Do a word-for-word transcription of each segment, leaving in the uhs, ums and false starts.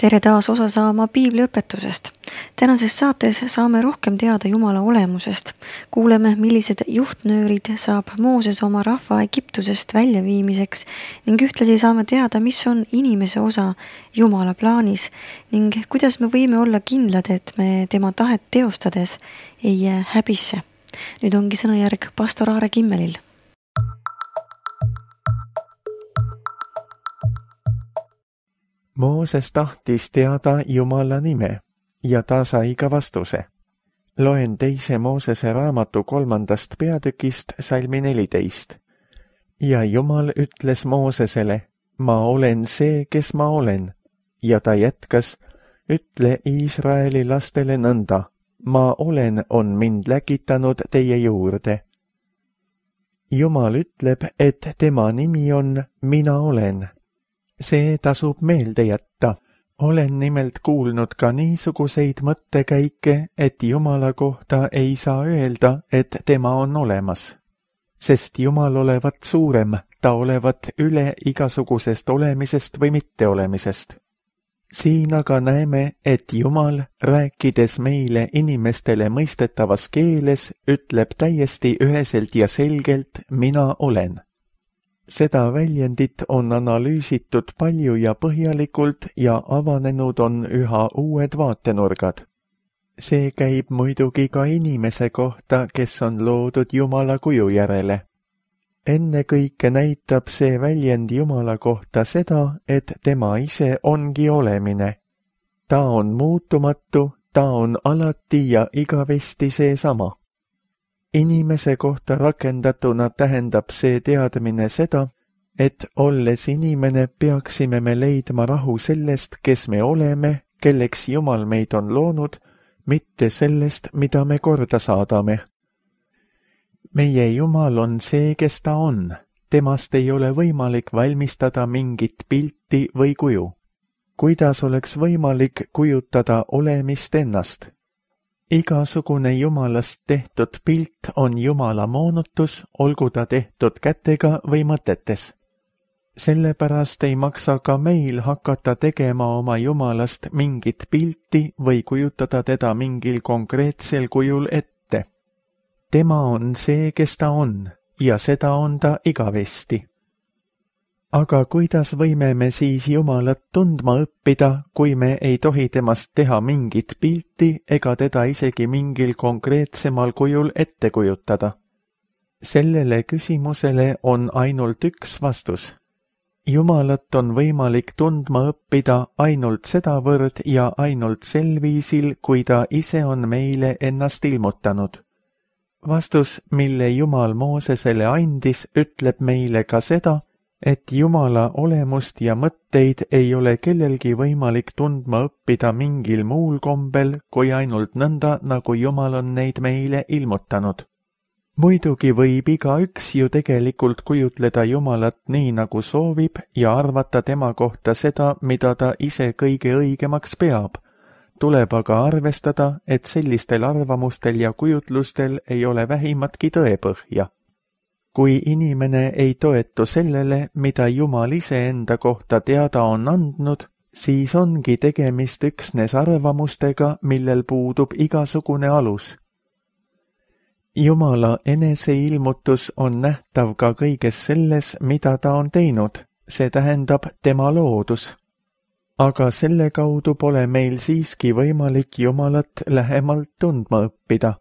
Tere taas osa saama piibliõpetusest. Tänases saates saame rohkem teada Jumala olemusest. Kuuleme, millised juhtnöörid saab Mooses oma rahva Egiptusest väljaviimiseks ning ühtlasi saame teada, mis on inimese osa Jumala plaanis ning kuidas me võime olla kindlad, et me tema tahet teostades ei jää häbisse. Nüüd ongi sõnajärg pastor Aare Kimmelil. Mooses tahtis teada Jumala nime ja ta sai ka vastuse. Loen teise Moosese raamatu kolmandast peatükist salmi neliteist. Ja Jumal ütles Moosesele, ma olen see, kes ma olen. Ja ta jätkas, ütle Iisraeli lastele nõnda, ma olen on mind läkitanud teie juurde. Jumal ütleb, et tema nimi on mina olen. See tasub meelde jätta. Olen nimelt kuulnud ka niisuguseid mõttekäike, et Jumala kohta ei saa öelda, et tema on olemas. Sest Jumal olevat suurem, ta olevat üle igasugusest olemisest või mitteolemisest. Siin aga näeme, et Jumal, rääkides meile inimestele mõistetavas keeles, ütleb täiesti üheselt ja selgelt, mina olen. Seda väljendit on analüüsitud palju ja põhjalikult ja avanenud on üha uued vaatenurgad. See käib muidugi ka inimese kohta, kes on loodud Jumala kuju järele. Ennekõike näitab see väljend Jumala kohta seda, et tema ise ongi olemine. Ta on muutumatu, ta on alati ja igavesti seesama. Inimese kohta rakendatuna tähendab see teadmine seda, et olles inimene peaksime me leidma rahu sellest, kes me oleme, kelleks Jumal meid on loonud, mitte sellest, mida me korda saadame. Meie Jumal on see, kes ta on. Temast ei ole võimalik valmistada mingit pilti või kuju. Kuidas oleks võimalik kujutada olemist ennast? Igasugune Jumalast tehtud pilt on Jumala moonutus, olgu ta tehtud kätega või mõtetes. Sellepärast ei maksa ka meil hakata tegema oma Jumalast mingit pilti või kujutada teda mingil konkreetsel kujul ette. Tema on see, kes ta on, ja seda on ta igavesti. Aga kuidas võime me siis Jumalat tundma õppida, kui me ei tohi temast teha mingit pilti ega teda isegi mingil konkreetsemal kujul ette kujutada? Sellele küsimusele on ainult üks vastus. Jumalat on võimalik tundma õppida ainult sedavõrd ja ainult sel viisil, kui ta ise on meile ennast ilmutanud. Vastus, mille Jumal Moosesele andis, ütleb meile ka seda, et Jumala olemust ja mõtteid ei ole kellelgi võimalik tundma õppida mingil muul kombel, kui ainult nõnda, nagu Jumal on neid meile ilmutanud. Muidugi võib igaüks ju tegelikult kujutleda Jumalat nii, nagu soovib ja arvata tema kohta seda, mida ta ise kõige õigemaks peab. Tuleb aga arvestada, et sellistel arvamustel ja kujutlustel ei ole vähimatki tõepõhja. Kui inimene ei toetu sellele, mida Jumal ise enda kohta teada on andnud, siis ongi tegemist üksnes arvamustega, millel puudub igasugune alus. Jumala eneseilmutus on nähtav ka kõiges selles, mida ta on teinud, see tähendab tema loodus. Aga selle kaudu pole meil siiski võimalik Jumalat lähemalt tundma õppida.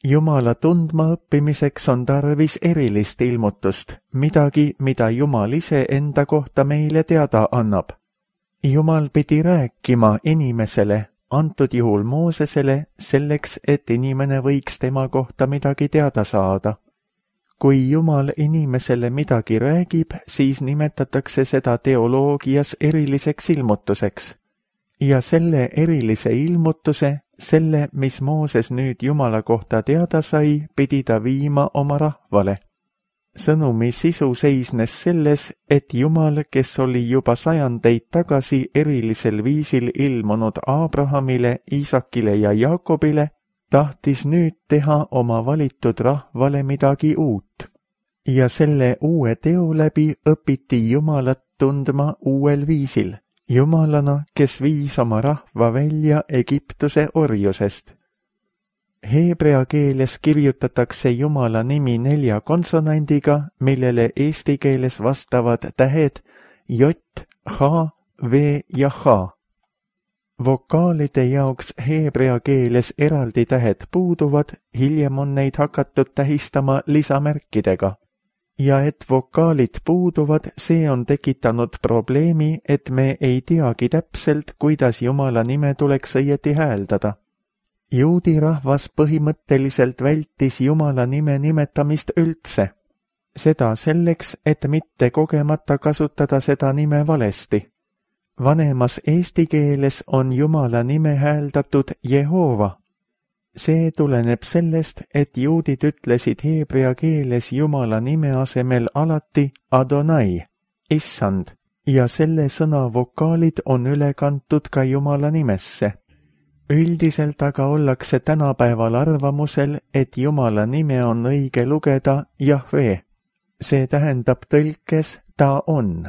Jumala tundma õppimiseks on tarvis erilist ilmutust, midagi, mida Jumal ise enda kohta meile teada annab. Jumal pidi rääkima inimesele, antud juhul Moosesele, selleks, et inimene võiks tema kohta midagi teada saada. Kui Jumal inimesele midagi räägib, siis nimetatakse seda teoloogias eriliseks ilmutuseks. Ja selle erilise ilmutuse, selle, mis Mooses nüüd Jumala kohta teada sai, pidi ta viima oma rahvale. Sõnumi sisu seisnes selles, et Jumal, kes oli juba sajandeid tagasi erilisel viisil ilmunud Abrahamile, Iisakile ja Jaakobile, tahtis nüüd teha oma valitud rahvale midagi uut. Ja selle uue teo läbi õpiti Jumalat tundma uuel viisil. Jumalana, kes viis oma rahva välja Egiptuse orjusest. Heebrea keeles kirjutatakse Jumala nimi nelja konsonandiga, millele eesti keeles vastavad tähed J, H, V ja H. Vokaalide jaoks heebrea keeles eraldi tähed puuduvad, hiljem on neid hakatud tähistama lisamärkidega. Ja et vokaalid puuduvad, see on tekitanud probleemi, et me ei teagi täpselt, kuidas Jumala nime tuleks õieti hääldada. Juudi rahvas põhimõtteliselt vältis Jumala nime nimetamist üldse. Seda selleks, et mitte kogemata kasutada seda nime valesti. Vanemas eesti keeles on Jumala nime hääldatud Jehova. See tuleneb sellest, et juudid ütlesid heebrea keeles Jumala nime asemel alati Adonai, issand, ja selle sõna vokaalid on üle kantud ka Jumala nimesse. Üldiselt aga ollakse tänapäeval arvamusel, et Jumala nime on õige lugeda Jahve. See tähendab tõlkes ta on.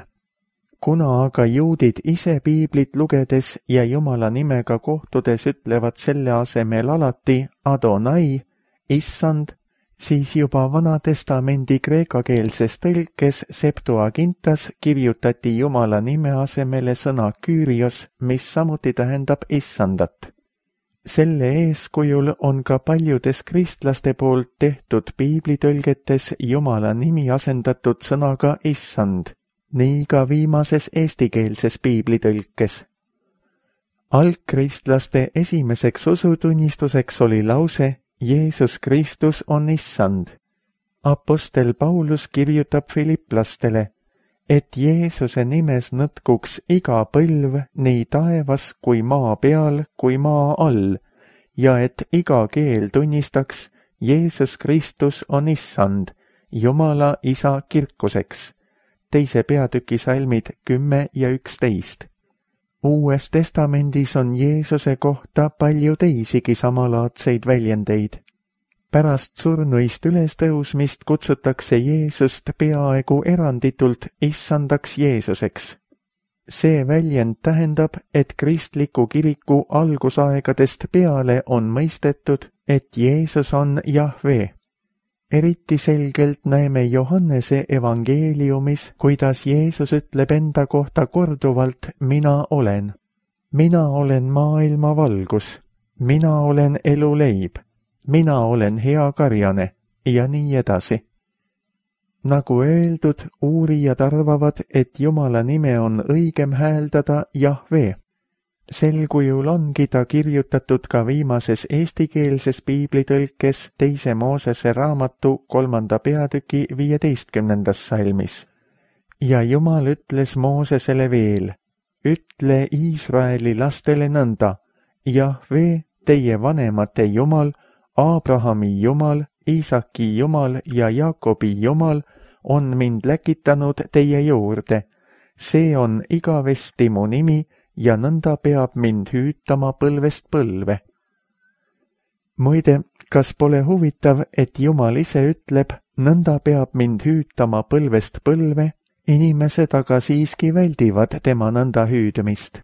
Kuna aga juudid ise piiblit lugedes ja Jumala nimega kohtudes ütlevad selle asemel alati Adonai, issand, siis juba Vana Testamendi kreekakeelses tõlkes Septuagintas kirjutati Jumala nime asemele sõna Kyrios, mis samuti tähendab issandat. Selle eeskujul on ka paljudes kristlaste poolt tehtud piiblitõlgetes Jumala nimi asendatud sõnaga issand. Nii ka viimases eestikeelses piiblitõlkes. Algkristlaste esimeseks usutunnistuseks oli lause Jeesus Kristus on issand. Apostel Paulus kirjutab filiplastele, et Jeesuse nimes nõtkuks iga põlv nii taevas kui maa peal kui maa all ja et iga keel tunnistaks Jeesus Kristus on issand, Jumala isa kirkuseks. Teise peatüki salmid kümme ja üksteist. Uues testamendis on Jeesuse kohta palju teisigi samalaadseid väljendeid. Pärast surnuist ülestõusmist kutsutakse Jeesust peaaegu eranditult issandaks Jeesuseks. See väljend tähendab, et kristliku kiriku algusaegadest peale on mõistetud, et Jeesus on Jahve. Eriti selgelt näeme Johannese evangeeliumis, kuidas Jeesus ütleb enda kohta korduvalt mina olen. Mina olen maailma valgus, mina olen eluleib, mina olen hea karjane ja nii edasi. Nagu öeldud, uurijad arvavad, et Jumala nime on õigem hääldada Jahve. Sel kujul ongi ta kirjutatud ka viimases eestikeelses piiblitõlkes teise Moosese raamatu kolmanda peatüki viieteistkümnendas salmis. Ja Jumal ütles Moosesele veel, ütle Iisraeli lastele nõnda, Jahve, teie vanemate Jumal, Abrahami Jumal, Iisaki Jumal ja Jaakobi Jumal on mind läkitanud teie juurde. See on igavesti mu nimi, ja nõnda peab mind hüütama põlvest põlve. Muide, kas pole huvitav, et Jumal ise ütleb, nõnda peab mind hüütama põlvest põlve, inimesed aga siiski väldivad tema nõnda hüüdmist.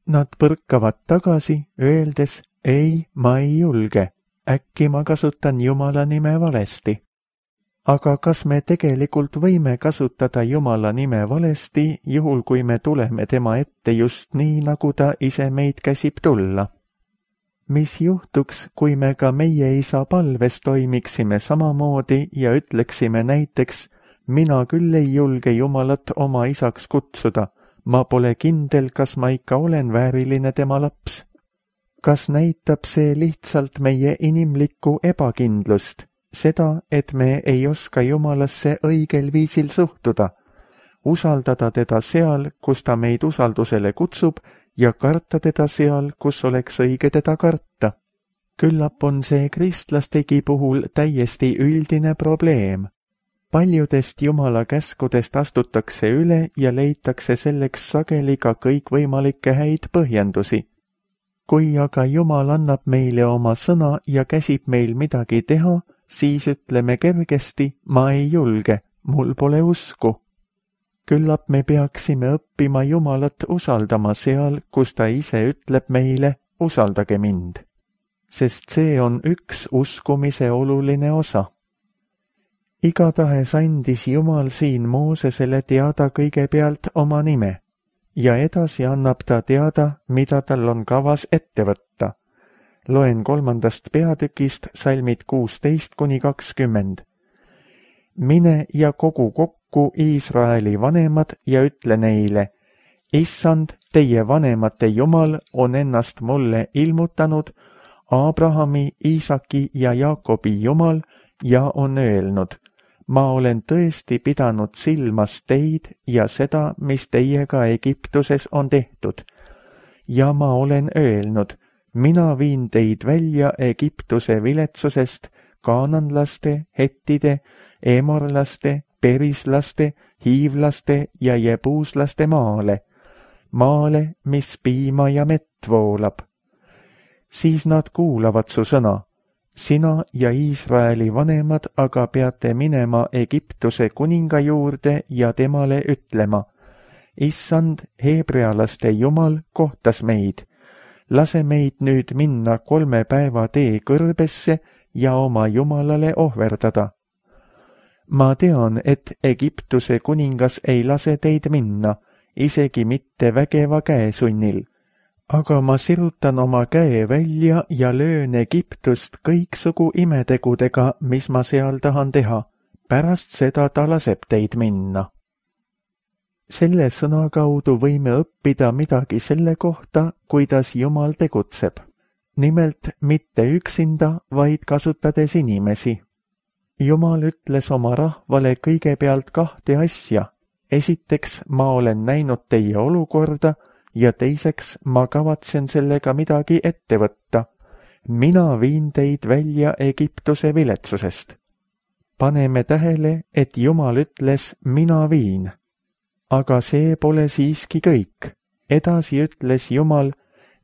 Nad põrkavad tagasi, öeldes, ei, ma ei julge, äkki ma kasutan Jumala nime valesti. Aga kas me tegelikult võime kasutada Jumala nime valesti, juhul kui me tuleme tema ette just nii, nagu ta ise meid käsib tulla? Mis juhtuks, kui me ka meie isa palves toimiksime samamoodi ja ütleksime näiteks, mina küll ei julge Jumalat oma isaks kutsuda, ma pole kindel, kas ma ikka olen vääriline tema laps? Kas näitab see lihtsalt meie inimlikku ebakindlust? Seda, et me ei oska Jumalasse õigel viisil suhtuda, usaldada teda seal, kus ta meid usaldusele kutsub ja karta teda seal, kus oleks õige teda karta. Küllap on see kristlastegi puhul täiesti üldine probleem. Paljudest Jumala käskudest astutakse üle ja leitakse selleks sageli ka kõikvõimalikke häid põhjendusi. Kui aga Jumal annab meile oma sõna ja käsib meil midagi teha, siis ütleme kergesti, ma ei julge, mul pole usku. küllap me peaksime õppima Jumalat usaldama seal, kus ta ise ütleb meile, usaldage mind, sest see on üks uskumise oluline osa. Igatahes andis Jumal siin Moosesele teada kõigepealt oma nime ja edasi annab ta teada, mida tal on kavas ette võtta. Loen kolmandast peatükist salmid kuusteist kuni kakskümmend. Mine ja kogu kokku Iisraeli vanemad ja ütle neile, Issand, teie vanemate Jumal on ennast mulle ilmutanud, Abrahami, Iisaki ja Jaakobi Jumal, ja on öelnud, ma olen tõesti pidanud silmas teid ja seda, mis teiega Egiptuses on tehtud. Ja ma olen öelnud, mina viin teid välja Egiptuse viletsusest, kaananlaste, hettide, emorlaste, perislaste, hiivlaste ja jebuuslaste maale, maale, mis piima ja mett voolab. Siis nad kuulavad su sõna. Sina ja Iisraeli vanemad aga peate minema Egiptuse kuninga juurde ja temale ütlema, Issand, heebrealaste Jumal kohtas meid. Lase meid nüüd minna kolme päeva tee kõrbesse ja oma Jumalale ohverdada. Ma tean, et Egiptuse kuningas ei lase teid minna, isegi mitte vägeva käesunnil. Aga ma sirutan oma käe välja ja löön Egiptust kõiksugu imetegudega, mis ma seal tahan teha. Pärast seda ta laseb teid minna. Selle sõna kaudu võime õppida midagi selle kohta, kuidas Jumal tegutseb. Nimelt mitte üksinda, vaid kasutades inimesi. Jumal ütles oma rahvale kõigepealt kahte asja. Esiteks, ma olen näinud teie olukorda, ja teiseks ma kavatsen sellega midagi ette võtta. Mina viin teid välja Egiptuse viletsusest. Paneme tähele, et Jumal ütles, mina viin. Aga see pole siiski kõik. Edasi ütles Jumal,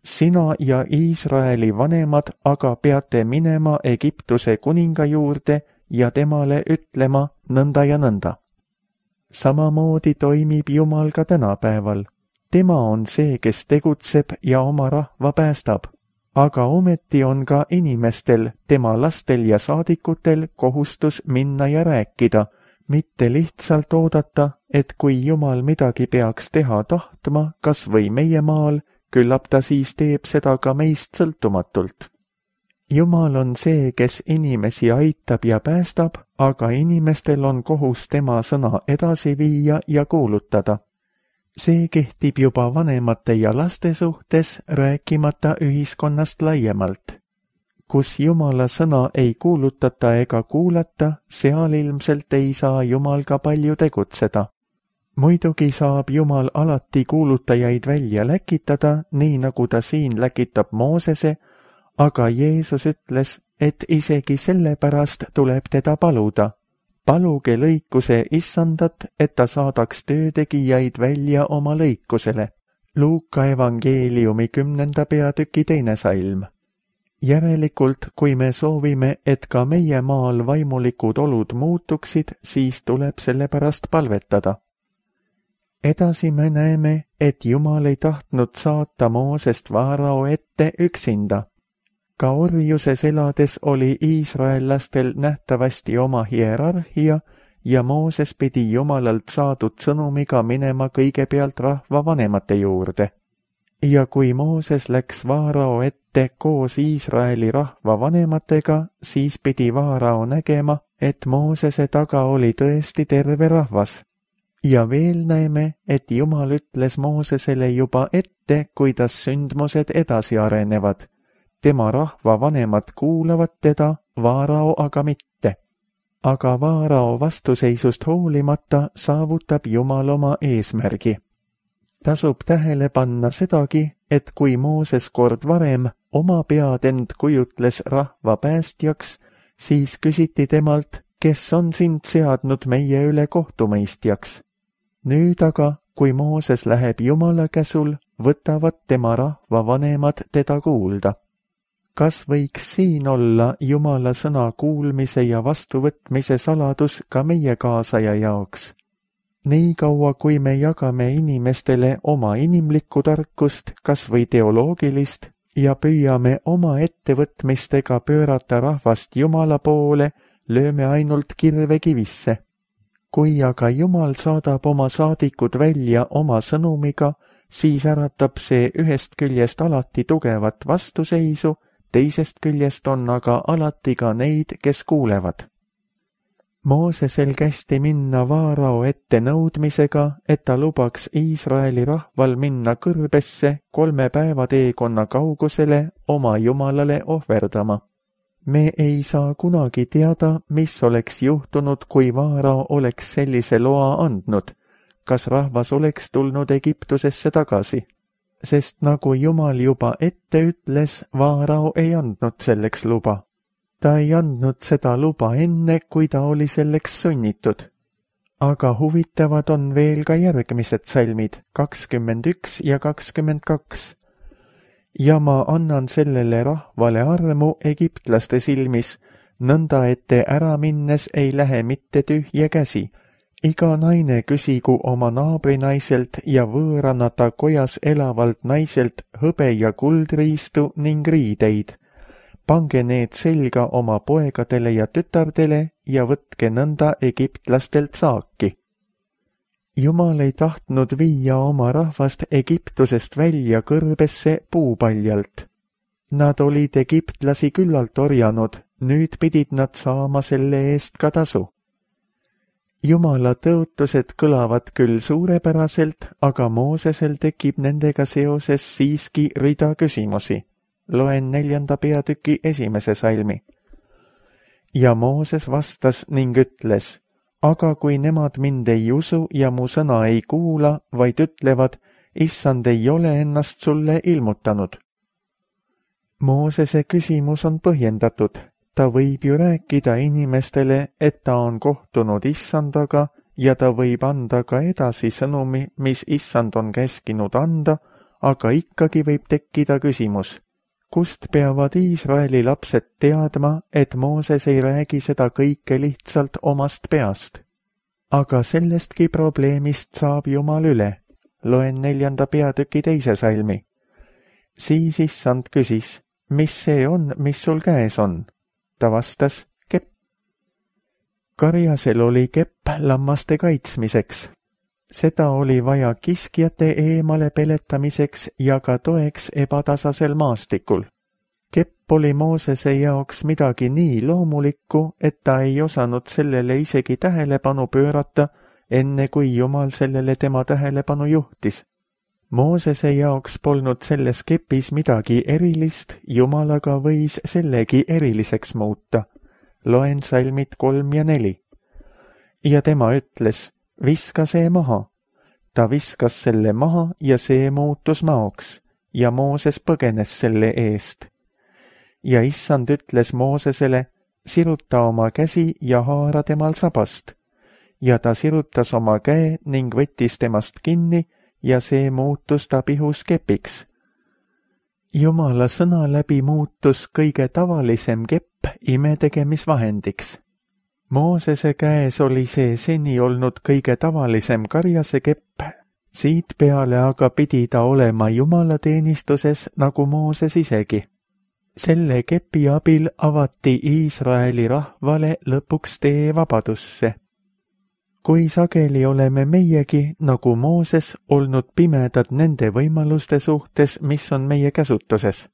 sina ja Iisraeli vanemad aga peate minema Egiptuse kuninga juurde ja temale ütlema nõnda ja nõnda. Samamoodi toimib Jumal ka tänapäeval. Tema on see, kes tegutseb ja oma rahva päästab, aga ometi on ka inimestel, tema lastel ja saadikutel kohustus minna ja rääkida, mitte lihtsalt oodata, et kui Jumal midagi peaks teha tahtma, kas või meie maal, küllap ta siis teeb seda ka meist sõltumatult. Jumal on see, kes inimesi aitab ja päästab, aga inimestel on kohus tema sõna edasi viia ja kuulutada. See kehtib juba vanemate ja laste suhtes, rääkimata ühiskonnast laiemalt. Kus Jumala sõna ei kuulutata ega kuulata, seal ilmselt ei saa Jumal ka palju tegutseda. Muidugi saab Jumal alati kuulutajaid välja läkitada, nii nagu ta siin läkitab Moosese, aga Jeesus ütles, et isegi sellepärast tuleb teda paluda. Paluge lõikuse Issandat, et ta saadaks töötegijaid välja oma lõikusele. Luuka evangeeliumi kümnenda peatüki teine salm. Järelikult, kui me soovime, et ka meie maal vaimulikud olud muutuksid, siis tuleb selle pärast palvetada. Edasi me näeme, et Jumal ei tahtnud saata Moosest Vaarao ette üksinda. Ka orjuses elades oli iisraellastel nähtavasti oma hierarhia ja Mooses pidi Jumalalt saadud sõnumiga minema kõigepealt rahva vanemate juurde. Ja kui Mooses läks Vaarao ette koos Iisraeli rahva vanematega, siis pidi Vaarao nägema, et Moosese taga oli tõesti terve rahvas. Ja veel näeme, et Jumal ütles Moosesele juba ette, kuidas sündmused edasi arenevad. Tema rahva vanemad kuulavad teda, Vaarao aga mitte. Aga Vaarao vastuseisust hoolimata saavutab Jumal oma eesmärgi. Tasub tähele panna sedagi, et kui Mooses kord varem oma pead end kujutles rahva päästjaks, siis küsiti temalt, kes on sind seadnud meie üle kohtumõistjaks. Nüüd aga, kui Mooses läheb Jumala käsul, võtavad tema rahva vanemad teda kuulda. Kas võiks siin olla Jumala sõna kuulmise ja vastuvõtmise saladus ka meie kaasaja jaoks? Nii kaua, kui me jagame inimestele oma inimlikku tarkust, kas või teoloogilist, ja püüame oma ettevõtmistega pöörata rahvast Jumala poole, lööme ainult kirve kivisse. Kui aga Jumal saadab oma saadikud välja oma sõnumiga, siis äratab see ühest küljest alati tugevat vastuseisu, teisest küljest on aga alati ka neid, kes kuulevad. Moosesel kästi minna Vaarao ette nõudmisega, et ta lubaks Iisraeli rahval minna kõrbesse kolme päeva teekonna kaugusele oma Jumalale ohverdama. Me ei saa kunagi teada, mis oleks juhtunud, kui Vaarao oleks sellise loa andnud, kas rahvas oleks tulnud Egiptusesse tagasi. Sest nagu Jumal juba ette ütles, Vaarao ei andnud selleks luba. Ta ei andnud seda luba enne, kui ta oli selleks sunnitud. Aga huvitavad on veel ka järgmised salmid, kakskümmend üks ja kakskümmend kaks. Ja ma annan sellele rahvale armu egiptlaste silmis, nõnda et te ära minnes ei lähe mitte tühje käsi. Iga naine küsigu oma naabrinaiselt ja võõranata kojas elavalt naiselt hõbe ja kuldriistu ning riideid. Pange need selga oma poegadele ja tütardele ja võtke nõnda egiptlastelt saaki. Jumal ei tahtnud viia oma rahvast Egiptusest välja kõrbesse puupaljalt. Nad olid egiptlasi küllalt orjanud, nüüd pidid nad saama selle eest ka tasu. Jumala tõotused kõlavad küll suurepäraselt, aga Moosesel tekib nendega seoses siiski rida küsimusi. Loen neljanda peatüki esimese salmi. Ja Mooses vastas ning ütles, aga kui nemad mind ei usu ja mu sõna ei kuula, vaid ütlevad, issand ei ole ennast sulle ilmutanud. Moosese küsimus on põhjendatud. Ta võib ju rääkida inimestele, et ta on kohtunud issandaga ja ta võib anda ka edasi sõnumi, mis issand on käskinud anda, aga ikkagi võib tekkida küsimus. Kust peavad Iisraeli lapsed teadma, et Mooses ei räägi seda kõike lihtsalt omast peast? Aga sellestki probleemist saab Jumal üle. Loen neljanda peatüki teise salmi. Siis issand küsis, mis see on, mis sul käes on? Ta vastas, kepp. Karjasel oli kepp lammaste kaitsmiseks. Seda oli vaja kiskjate eemale peletamiseks ja ka toeks ebatasasel maastikul. Kepp oli Moosese jaoks midagi nii loomulikku, et ta ei osanud sellele isegi tähelepanu pöörata, enne kui Jumal sellele tema tähelepanu juhtis. Moosese jaoks polnud selles kepis midagi erilist, Jumal aga võis sellegi eriliseks muuta. Loen salmid kolm ja neli. Ja tema ütles, viska see maha. Ta viskas selle maha ja see muutus maoks ja Mooses põgenes selle eest. Ja issand ütles Moosesele, siruta oma käsi ja haara temal sabast. Ja ta sirutas oma käe ning võttis temast kinni ja see muutus ta pihus kepiks. Jumala sõna läbi muutus kõige tavalisem kepp imetegemisvahendiks. Moosese käes oli see seni olnud kõige tavalisem karjase kepp, siit peale aga pidi ta olema Jumala teenistuses nagu Mooses isegi. Selle kepi abil avati Iisraeli rahvale lõpuks tee vabadusse. Kui sageli oleme meiegi, nagu Mooses, olnud pimedad nende võimaluste suhtes, mis on meie käsutuses.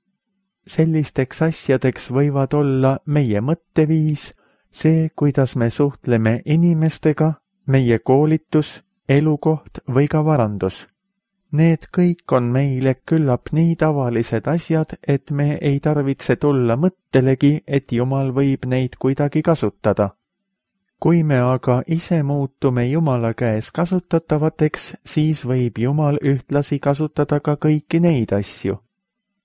Sellisteks asjadeks võivad olla meie mõtteviis, see, kuidas me suhtleme inimestega, meie koolitus, elukoht või ka varandus. Need kõik on meile küllap nii tavalised asjad, et me ei tarvitse tulla mõttelegi, et Jumal võib neid kuidagi kasutada. Kui me aga ise muutume Jumala käes kasutatavateks, siis võib Jumal ühtlasi kasutada ka kõiki neid asju.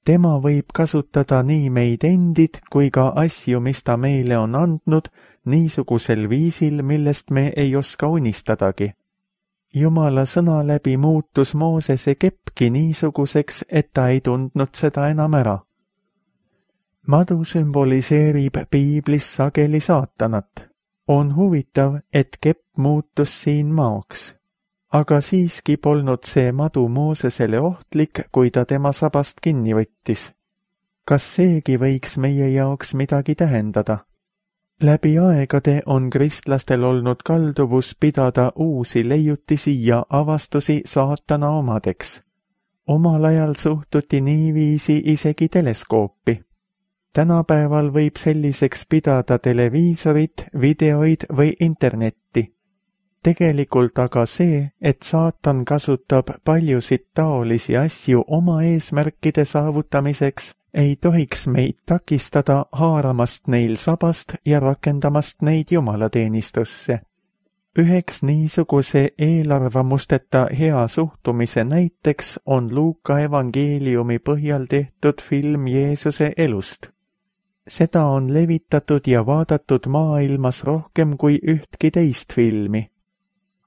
Tema võib kasutada nii meid endid kui ka asju, mis ta meile on andnud, niisugusel viisil, millest me ei oska unistadagi. Jumala sõna läbi muutus Moosese keppki niisuguseks, et ta ei tundnud seda enam ära. Madu sümboliseerib piiblis sageli saatanat. On huvitav, et kepp muutus siin maoks. aga siiski polnud see madu Moosesele ohtlik, kui ta tema sabast kinni võttis. Kas seegi võiks meie jaoks midagi tähendada? Läbi aegade on kristlastel olnud kalduvus pidada uusi leiutisi ja avastusi saatana omadeks. Omal ajal suhtuti niiviisi isegi teleskoopi. Tänapäeval võib selliseks pidada televiisorit, videoid või internetti. Tegelikult aga see, et saatan kasutab paljusid taolisi asju oma eesmärkide saavutamiseks, ei tohiks meid takistada haaramast neil sabast ja rakendamast neid jumalateenistusse. Üheks niisuguse eelarvamusteta hea suhtumise näiteks on Luuka evangeeliumi põhjal tehtud film Jeesuse elust. Seda on levitatud ja vaadatud maailmas rohkem kui ühtki teist filmi.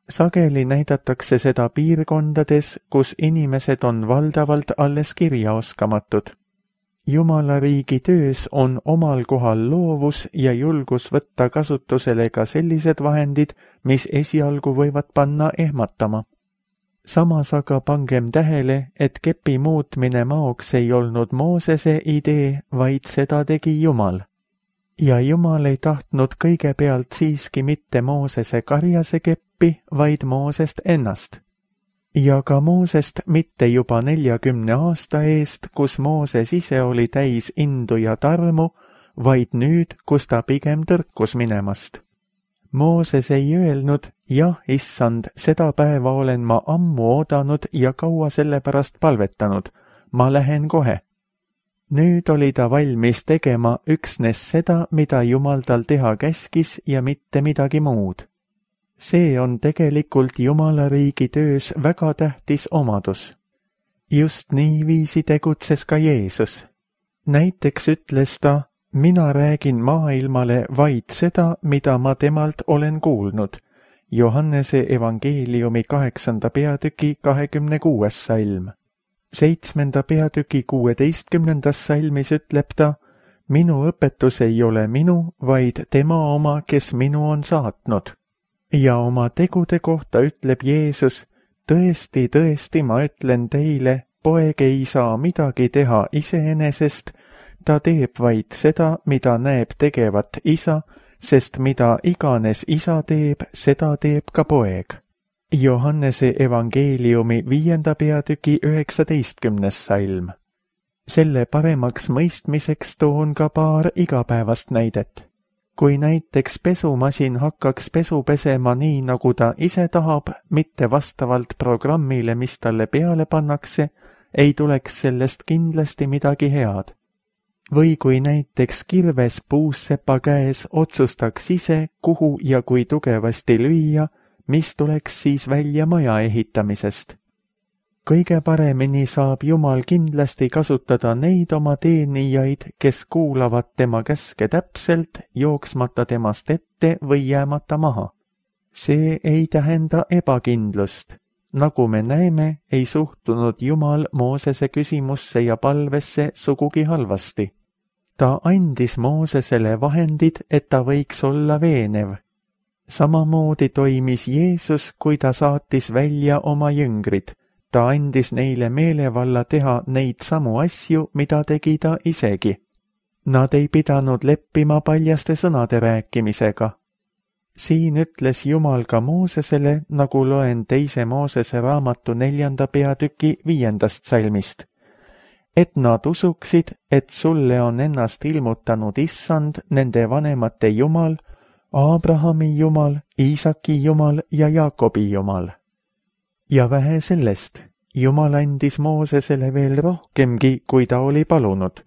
Sageli näidatakse seda piirkondades, kus inimesed on valdavalt alles kirjaoskamatud. Jumala riigi töös on omal kohal loovus ja julgus võtta kasutusele ka sellised vahendid, mis esialgu võivad panna ehmatama. Samas aga pangem tähele, et kepi muutmine maoks ei olnud Moosese idee, vaid seda tegi Jumal. Ja Jumal ei tahtnud kõigepealt siiski mitte Moosese karjase keppi, vaid Moosest ennast. Ja ka Moosest mitte juba neljakümne aasta eest, kus Mooses ise oli täis indu ja tarmu, vaid nüüd, kus ta pigem tõrkus minemast. Mooses ei öelnud, jah, issand, seda päeva olen ma ammu oodanud ja kaua selle pärast palvetanud, ma lähen kohe. Nüüd oli ta valmis tegema üksnes seda, mida Jumal tal teha käskis ja mitte midagi muud. See on tegelikult Jumala riigi töös väga tähtis omadus. Just niiviisi tegutses ka Jeesus. Näiteks ütles ta, mina räägin maailmale vaid seda, mida ma temalt olen kuulnud. Johannese evangeeliumi kaheksanda peatüki kahekümne kuues salm. Seitsmenda peatüki kuueteistkümnendas salmis ütleb ta, minu õpetus ei ole minu, vaid tema oma, kes minu on saatnud. Ja oma tegude kohta ütleb Jeesus, tõesti, tõesti, ma ütlen teile, poeg ei saa midagi teha iseenesest, ta teeb vaid seda, mida näeb tegevat isa, sest mida iganes isa teeb, seda teeb ka poeg. Johannese evangeeliumi viienda peatüki üheksateistkümnes salm. Selle paremaks mõistmiseks toon ka paar igapäevast näidet. Kui näiteks pesumasin hakkaks pesu pesema nii, nagu ta ise tahab, mitte vastavalt programmile, mis talle peale pannakse, ei tuleks sellest kindlasti midagi head. Või kui näiteks kirves puussepa käes otsustaks ise, kuhu ja kui tugevasti lüüa, mis tuleks siis välja maja ehitamisest. Kõige paremini saab Jumal kindlasti kasutada neid oma teenijaid, kes kuulavad tema käske täpselt, jooksmata temast ette või jäämata maha. See ei tähenda ebakindlust. Nagu me näeme, ei suhtunud Jumal Moosese küsimusse ja palvesse sugugi halvasti. Ta andis Moosesele vahendid, et ta võiks olla veenev. Samamoodi toimis Jeesus, kui ta saatis välja oma jüngrid. Ta andis neile meelevalla teha neid samu asju, mida tegi ta isegi. Nad ei pidanud leppima paljaste sõnade rääkimisega. Siin ütles Jumal ka Moosesele, nagu loen teise Moosese raamatu neljanda peatüki viiendast salmist, et nad usuksid, et sulle on ennast ilmutanud issand, nende vanemate Jumal, Abrahami Jumal, Iisaki Jumal ja Jaakobi Jumal. Ja vähe sellest, Jumal andis Moosesele veel rohkemgi, kui ta oli palunud.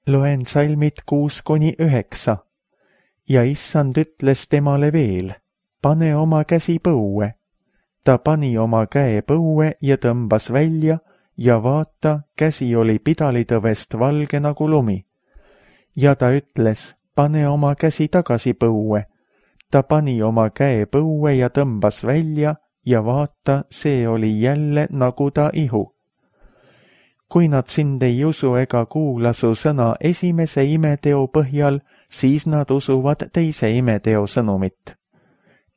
Loen salmid kuus kuni üheksa. Ja issand ütles temale veel, pane oma käsi põue. Ta pani oma käe põue ja tõmbas välja ja vaata, käsi oli pidalitõvest valge nagu lumi. Ja ta ütles, pane oma käsi tagasi põue. Ta pani oma käe põue ja tõmbas välja ja vaata, see oli jälle nagu ta ihu. Kui nad sind ei usu ega kuula su sõna esimese imeteo põhjal, siis nad usuvad teise imeteo sõnumit.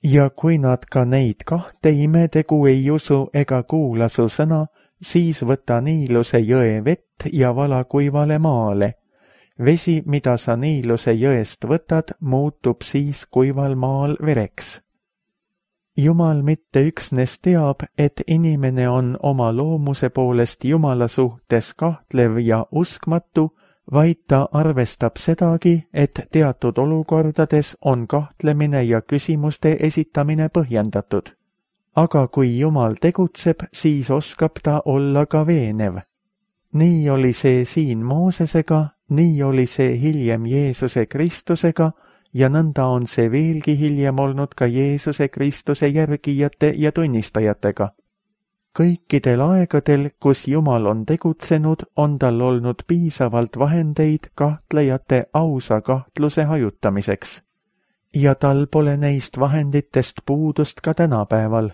Ja kui nad ka neid kahte imetegu ei usu ega kuula su sõna, siis võta Niiluse jõe vett ja vala kuivale maale. Vesi, mida sa Niiluse jõest võtad, muutub siis kuival maal vereks. Jumal mitte üksnes teab, et inimene on oma loomuse poolest Jumala suhtes kahtlev ja uskmatu, vaid ta arvestab sedagi, et teatud olukordades on kahtlemine ja küsimuste esitamine põhjendatud. Aga kui Jumal tegutseb, siis oskab ta olla ka veenev. Nii oli see siin Moosesega, nii oli see hiljem Jeesuse Kristusega ja nõnda on see veelgi hiljem olnud ka Jeesuse Kristuse järgijate ja tunnistajatega. Kõikidel aegadel, kus Jumal on tegutsenud, on tal olnud piisavalt vahendeid kahtlejate ausa kahtluse hajutamiseks. Ja tal pole neist vahenditest puudust ka tänapäeval.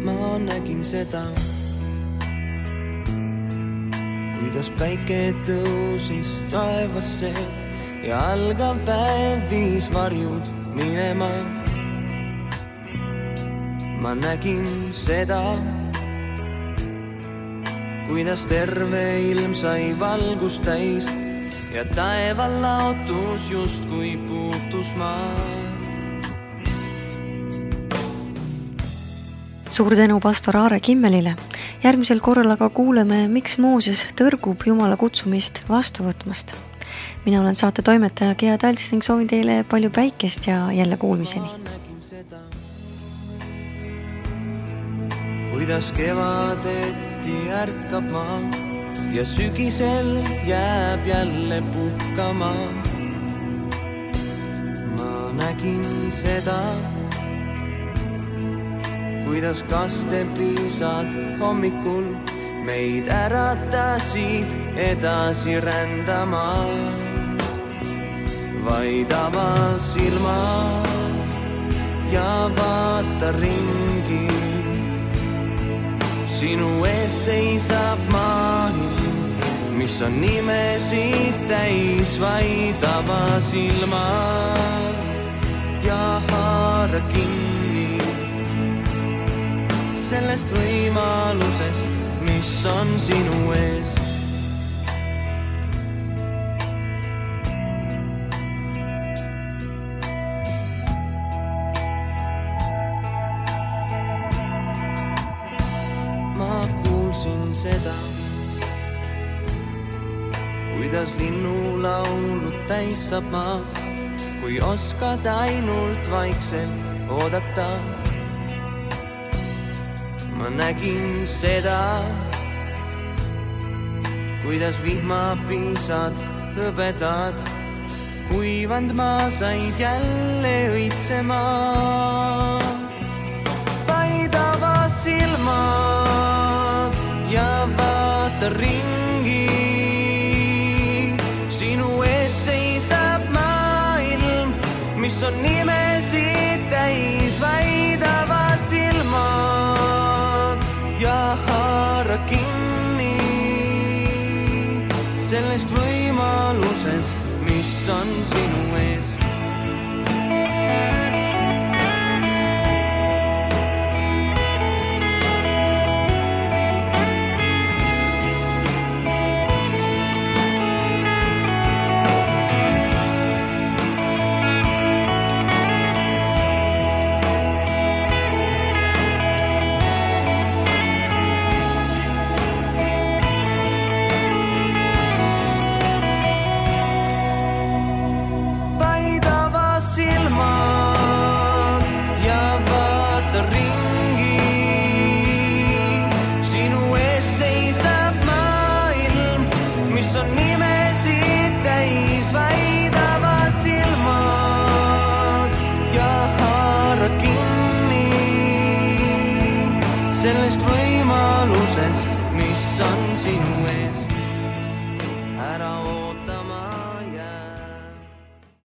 Ma nägin seda, kuidas päike tõusis taevasse ja algav päev viis varjud minema. Ma nägin seda, kuidas terve ilm sai valgust täis ja taeval laotus justkui puutus maad. Suur tänu pastor Aare Kimmelile. Järgmisel korral aga kuuleme, miks Mooses tõrgub Jumala kutsumist vastu võtmast. Mina olen saate toimetaja Gea Talts ning soovin teile palju päikest ja jälle kuulmiseni. Kuidas kevadeti ärkab maa ja sügisel jääb jälle puhkama. Ma nägin seda, kuidas kastepiisad hommikul meid äratasid edasi rändama. Vaid ava silmad ja vaata ringi. Sinu ees seisab maailm, mis on nimesid täis. Vaid ava silmad ja haara kinni sellest võimalusest, mis on sinu ees. Ma kuulsin seda, kuidas linnulaulud täis saab maa, kui oskad ainult vaikselt oodata. Ma nägin seda, kuidas vihmapiisad hõbedad kuivand maa said jälle õitsema. Vaid ava silmad ja vaata ringi. Sinu ees seisab maailm, mis on nimesid täis. Vaid ava silmad ja haara kinni sellest võimalusest, mis on